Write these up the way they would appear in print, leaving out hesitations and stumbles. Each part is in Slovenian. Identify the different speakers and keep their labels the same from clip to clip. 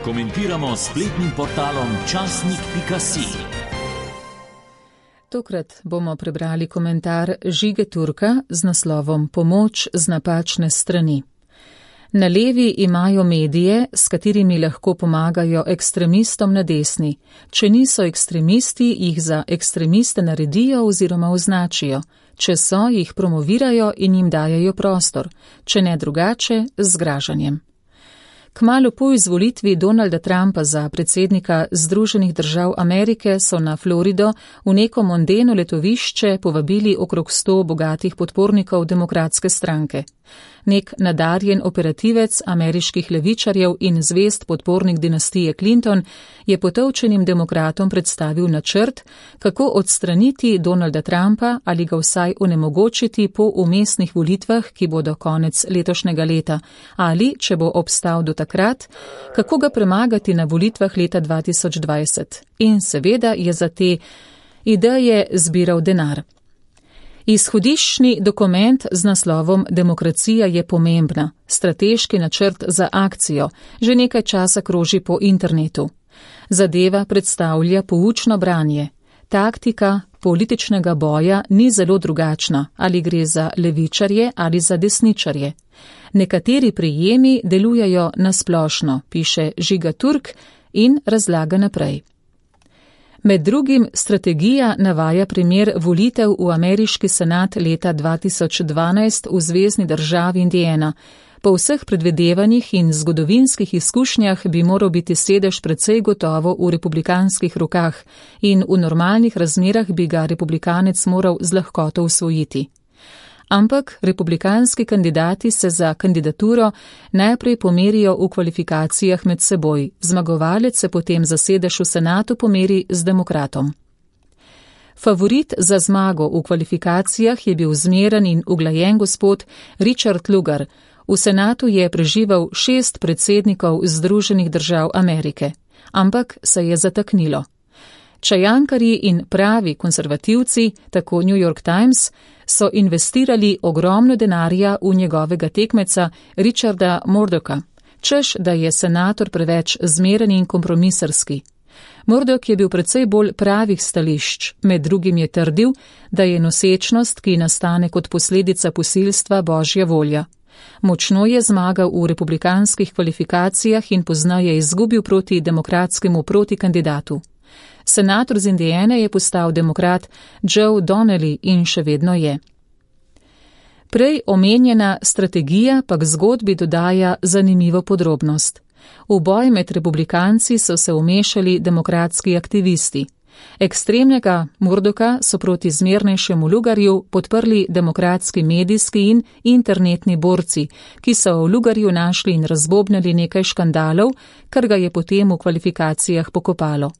Speaker 1: komentiramo s spletnim portalom časnik.si.
Speaker 2: Tokrat bomo prebrali komentar Žige Turka z naslovom Pomoč z napačne strani. Na levi imajo medije, s katerimi lahko pomagajo ekstremistom na desni. Če niso ekstremisti, jih za ekstremiste naredijo oziroma označijo. Če so, jih promovirajo in jim dajejo prostor. Če ne drugače, z zgražanjem. Kmalu po izvolitvi Donalda Trumpa za predsednika Združenih držav Amerike so na Florido v neko mondeno letovišče povabili okrog 100 bogatih podpornikov demokratske stranke. Nek nadarjen operativec ameriških levičarjev in zvest podpornik dinastije Clinton je potolčenim demokratom predstavil načrt, kako odstraniti Donalda Trumpa ali ga vsaj onemogočiti po umestnih volitvah, ki bodo konec letošnjega leta, ali, če bo obstal do takrat, kako ga premagati na volitvah leta 2020. In seveda je za te ideje zbiral denar. Izhodiščni dokument z naslovom Demokracija je pomembna, strateški načrt za akcijo, že nekaj časa kroži po internetu. Zadeva predstavlja poučno branje. Taktika političnega boja ni zelo drugačna, ali gre za levičarje ali za desničarje. Nekateri prijemi delujejo nasplošno, piše Žiga Turk in razlaga naprej. Med drugim strategija navaja primer volitev v ameriški senat leta 2012 v zvezni državi Indiana. Po vseh predvidevanjih in zgodovinskih izkušnjah bi moral biti sedež precej gotovo v republikanskih rokah in v normalnih razmerah bi ga republikanec moral z lahkoto usvojiti. Ampak republikanski kandidati se za kandidaturo najprej pomerijo v kvalifikacijah med seboj, zmagovalec se potem za sedež v senatu pomeri z demokratom. Favorit za zmago v kvalifikacijah je bil zmeren in uglajen gospod Richard Lugar. V senatu je preživel 6 predsednikov Združenih držav Amerike, ampak se je zataknilo. Čajankarji in pravi konservativci, tako New York Times, so investirali ogromno denarja v njegovega tekmeca Richarda Murdocka, češ, da je senator preveč zmeren in kompromisarski. Murdock je bil precej bolj pravih stališč, med drugim je trdil, da je nosečnost, ki nastane kot posledica posilstva, božja volja. Močno je zmagal v republikanskih kvalifikacijah in poznaje izgubil proti demokratskemu protikandidatu. Senator z Indiane je postal demokrat Joe Donnelly in še vedno je. Prej omenjena strategija pa k zgodbi dodaja zanimivo podrobnost. V boj med republikanci so se vmešali demokratski aktivisti. Ekstremnega Murdocka so proti zmernejšemu Lugarju podprli demokratski medijski in internetni borci, ki so v Lugarju našli in razbobnili nekaj škandalov, kar ga je potem v kvalifikacijah pokopalo.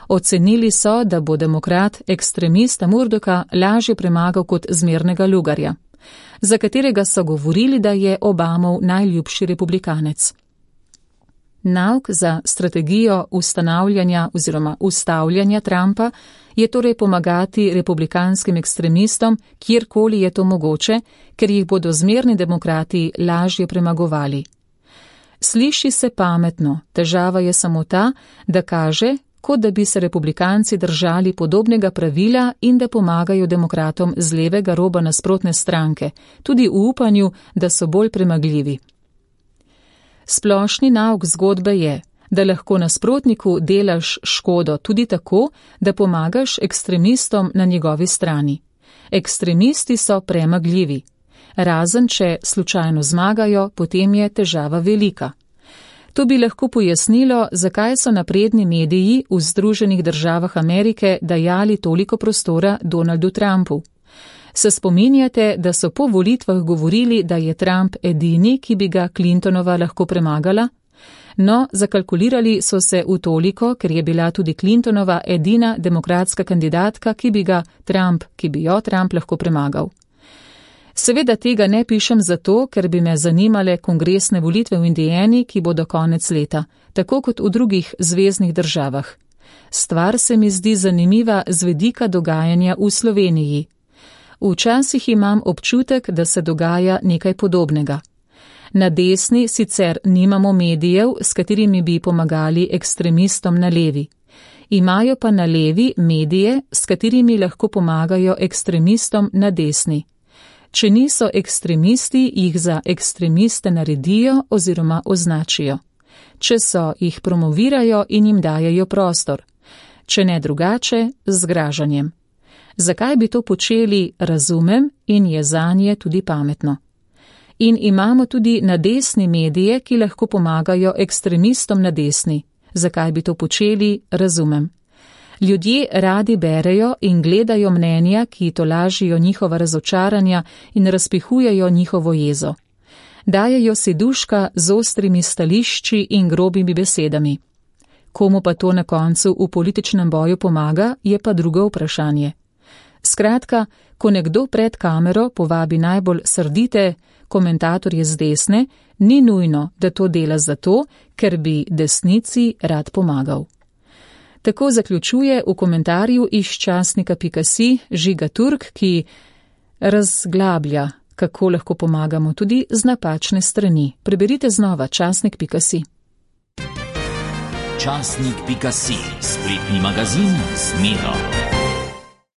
Speaker 2: Ocenili so, da bo demokrat ekstremista Murdocka lažje premagal kot zmernega Lugarja, za katerega so govorili, da je Obamov najljubši republikanec. Nauk za strategijo ustavljanja Trumpa je torej pomagati republikanskim ekstremistom, kjerkoli je to mogoče, ker jih bodo zmerni demokrati lažje premagovali. Sliši se pametno, težava je samo ta, da kaže, kot da bi se republikanci držali podobnega pravila in da pomagajo demokratom z levega roba nasprotne stranke, tudi v upanju, da so bolj premagljivi. Splošni nauk zgodbe je, da lahko nasprotniku delaš škodo tudi tako, da pomagaš ekstremistom na njegovi strani. Ekstremisti so premagljivi. Razen če slučajno zmagajo, potem je težava velika. To bi lahko pojasnilo, zakaj so napredni mediji v Združenih državah Amerike dajali toliko prostora Donaldu Trumpu. Se spominjate, da so po volitvah govorili, da je Trump edini, ki bi ga Clintonova lahko premagala? No, zakalkulirali so se v toliko, ker je bila tudi Clintonova edina demokratska kandidatka, ki bi jo Trump lahko premagal. Seveda tega ne pišem zato, ker bi me zanimale kongresne volitve v Indiani, ki bodo konec leta, tako kot v drugih zveznih državah. Stvar se mi zdi zanimiva z vidika dogajanja v Sloveniji. Včasih imam občutek, da se dogaja nekaj podobnega. Na desni sicer nimamo medijev, s katerimi bi pomagali ekstremistom na levi. Imajo pa na levi medije, s katerimi lahko pomagajo ekstremistom na desni. Če niso ekstremisti, jih za ekstremiste naredijo oziroma označijo. Če so, jih promovirajo in jim dajejo prostor. Če ne drugače, z zgražanjem. Zakaj bi to počeli, razumem in je zanje tudi pametno. In imamo tudi na desni medije, ki lahko pomagajo ekstremistom na desni. Zakaj bi to počeli, razumem. Ljudje radi berejo in gledajo mnenja, ki tolažijo njihova razočaranja in razpihujejo njihovo jezo. Dajejo si duška z ostrimi stališči in grobimi besedami. Komu pa to na koncu v političnem boju pomaga, je pa drugo vprašanje. Skratka, ko nekdo pred kamero povabi najbolj srdite komentatorje z desne, ni nujno, da to dela zato, ker bi desnici rad pomagal. Tako zaključuje v komentarju iz časnika.si Žiga Turk, ki razglablja, kako lahko pomagamo tudi z napačne strani. Preberite znova časnik.si.
Speaker 1: Časnik.si, spletni magazin z Miro.